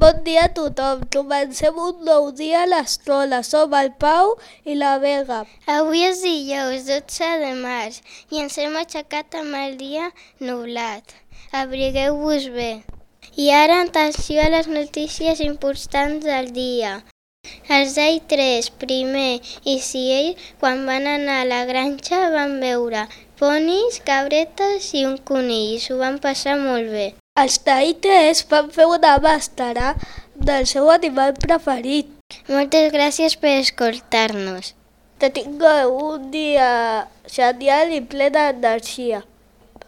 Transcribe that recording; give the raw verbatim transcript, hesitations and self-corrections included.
Bon dia a tothom. Comencem un nou dia a l'escola. Som el Pau i la Vega. Avui és dijous dotze de març i ens hem aixecat amb el dia nublat. Abrigueu-vos bé. I ara atenció a les notícies importants del dia. Els d'A I tres, primer i Ciell, quan van anar a la granja van veure ponis, cabretes i un conill i s'ho van passar molt bé. Els d'A I tres van fer una màstera del seu animal preferit. Moltes gràcies per escoltar-nos. Que tingueu un dia genial i ple d'energia.